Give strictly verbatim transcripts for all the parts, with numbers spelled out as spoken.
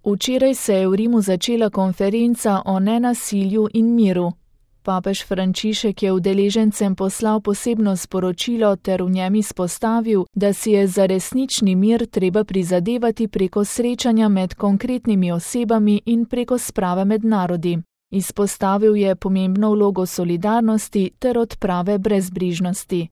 Včeraj se je v Rimu začela konferenca o nenasilju in miru. Papež Frančišek je udeležencem poslal posebno sporočilo ter v njem izpostavil, da si je za resnični mir treba prizadevati preko srečanja med konkretnimi osebami in preko sprave med narodi. Izpostavil je pomembno vlogo solidarnosti ter odprave brezbrižnosti.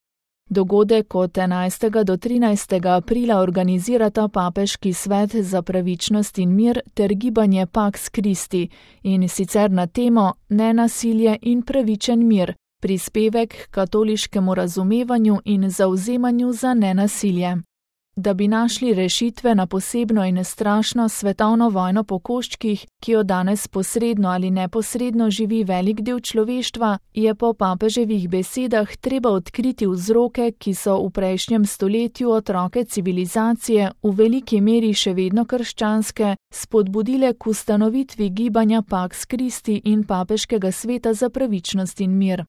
Dogodek od enajstega do trinajstega aprila organizirata Papeški svet za pravičnost in mir ter gibanje Pax Christi, in sicer na temo Nenasilje in pravičen mir, prispevek k katoliškemu razumevanju in zavzemanju za nenasilje. Da bi našli rešitve na posebno in strašno svetovno vojno po koščkih, ki jo danes posredno ali neposredno živi velik del človeštva, je po papeževih besedah treba odkriti vzroke, ki so v prejšnjem stoletju otroke civilizacije, v veliki meri še vedno krščanske, spodbudile k ustanovitvi gibanja Pax Christi in Papeškega sveta za pravičnost in mir.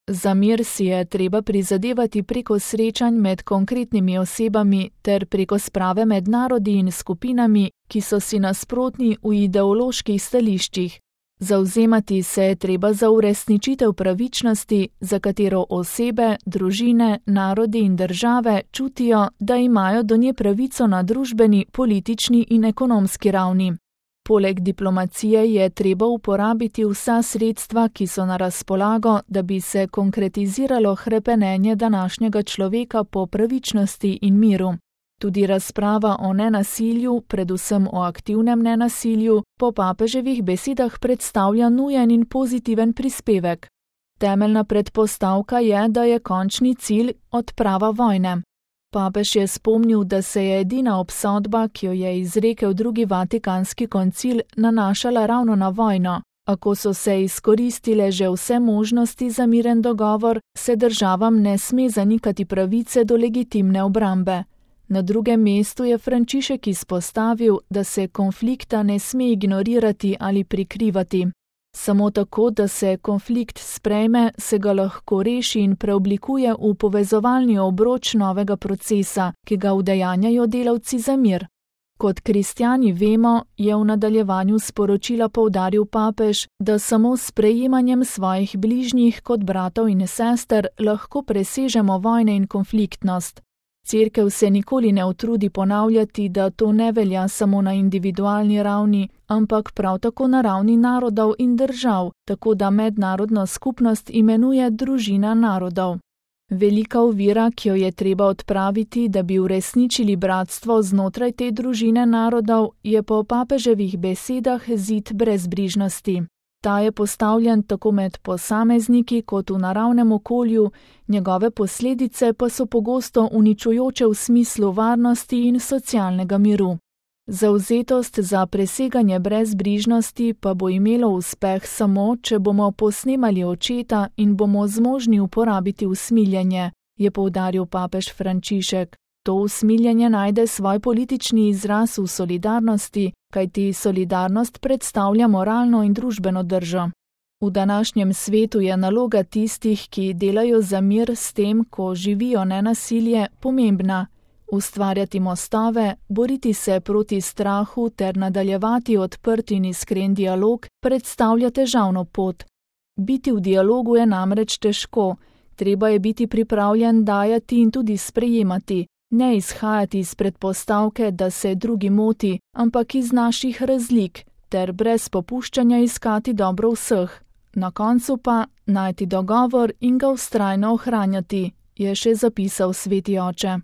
Za mir si je treba prizadevati preko srečanj med konkretnimi osebami ter preko sprave med narodi in skupinami, ki so si nasprotni v ideoloških stališčih. Zavzemati se je treba za uresničitev pravičnosti, za katero osebe, družine, narodi in države čutijo, da imajo do nje pravico na družbeni, politični in ekonomski ravni. Poleg diplomacije je treba uporabiti vsa sredstva, ki so na razpolago, da bi se konkretiziralo hrepenenje današnjega človeka po pravičnosti in miru. Tudi razprava o nenasilju, predvsem o aktivnem nenasilju, po papeževih besedah predstavlja nujen in pozitiven prispevek. Temeljna predpostavka je, da je končni cilj odprava vojne. Papež je spomnil, da se je edina obsodba, ki jo je izrekel drugi Vatikanski koncil, nanašala ravno na vojno. A ko so se izkoristile že vse možnosti za miren dogovor, se državam ne sme zanikati pravice do legitimne obrambe. Na drugem mestu je Frančišek izpostavil, da se konflikta ne sme ignorirati ali prikrivati. Samo tako, da se konflikt sprejme, se ga lahko reši in preoblikuje v povezovalni obroč novega procesa, ki ga udejanjajo delavci za mir. Kot kristjani vemo, je v nadaljevanju sporočila poudaril papež, da samo s sprejemanjem svojih bližnjih kot bratov in sester lahko presežemo vojne in konfliktnost. Cerkev se nikoli ne utrudi ponavljati, da to ne velja samo na individualni ravni, ampak prav tako na ravni narodov in držav, tako da mednarodno skupnost imenuje družina narodov. Velika ovira, ki jo je treba odpraviti, da bi uresničili bratstvo znotraj te družine narodov, je po papeževih besedah zid brezbrižnosti. Ta je postavljen tako med posamezniki kot v naravnem okolju, njegove posledice pa so pogosto uničujoče v smislu varnosti in socialnega miru. Zavzetost za preseganje brezbrižnosti pa bo imelo uspeh samo, če bomo posnemali očeta in bomo zmožni uporabiti usmiljenje, je poudaril papež Frančišek. To usmiljenje najde svoj politični izraz v solidarnosti, kajti solidarnost predstavlja moralno in družbeno držo. V današnjem svetu je naloga tistih, ki delajo za mir s tem, ko živijo nenasilje, pomembna. Ustvarjati mostove, boriti se proti strahu ter nadaljevati odprt in iskren dialog predstavlja težavno pot. Biti v dialogu je namreč težko, treba je biti pripravljen dajati in tudi sprejemati. Ne izhajati iz predpostavke, da se drugi moti, ampak iz naših razlik, ter brez popuščanja iskati dobro vseh. Na koncu pa najti dogovor in ga vztrajno ohranjati, je še zapisal sveti oče.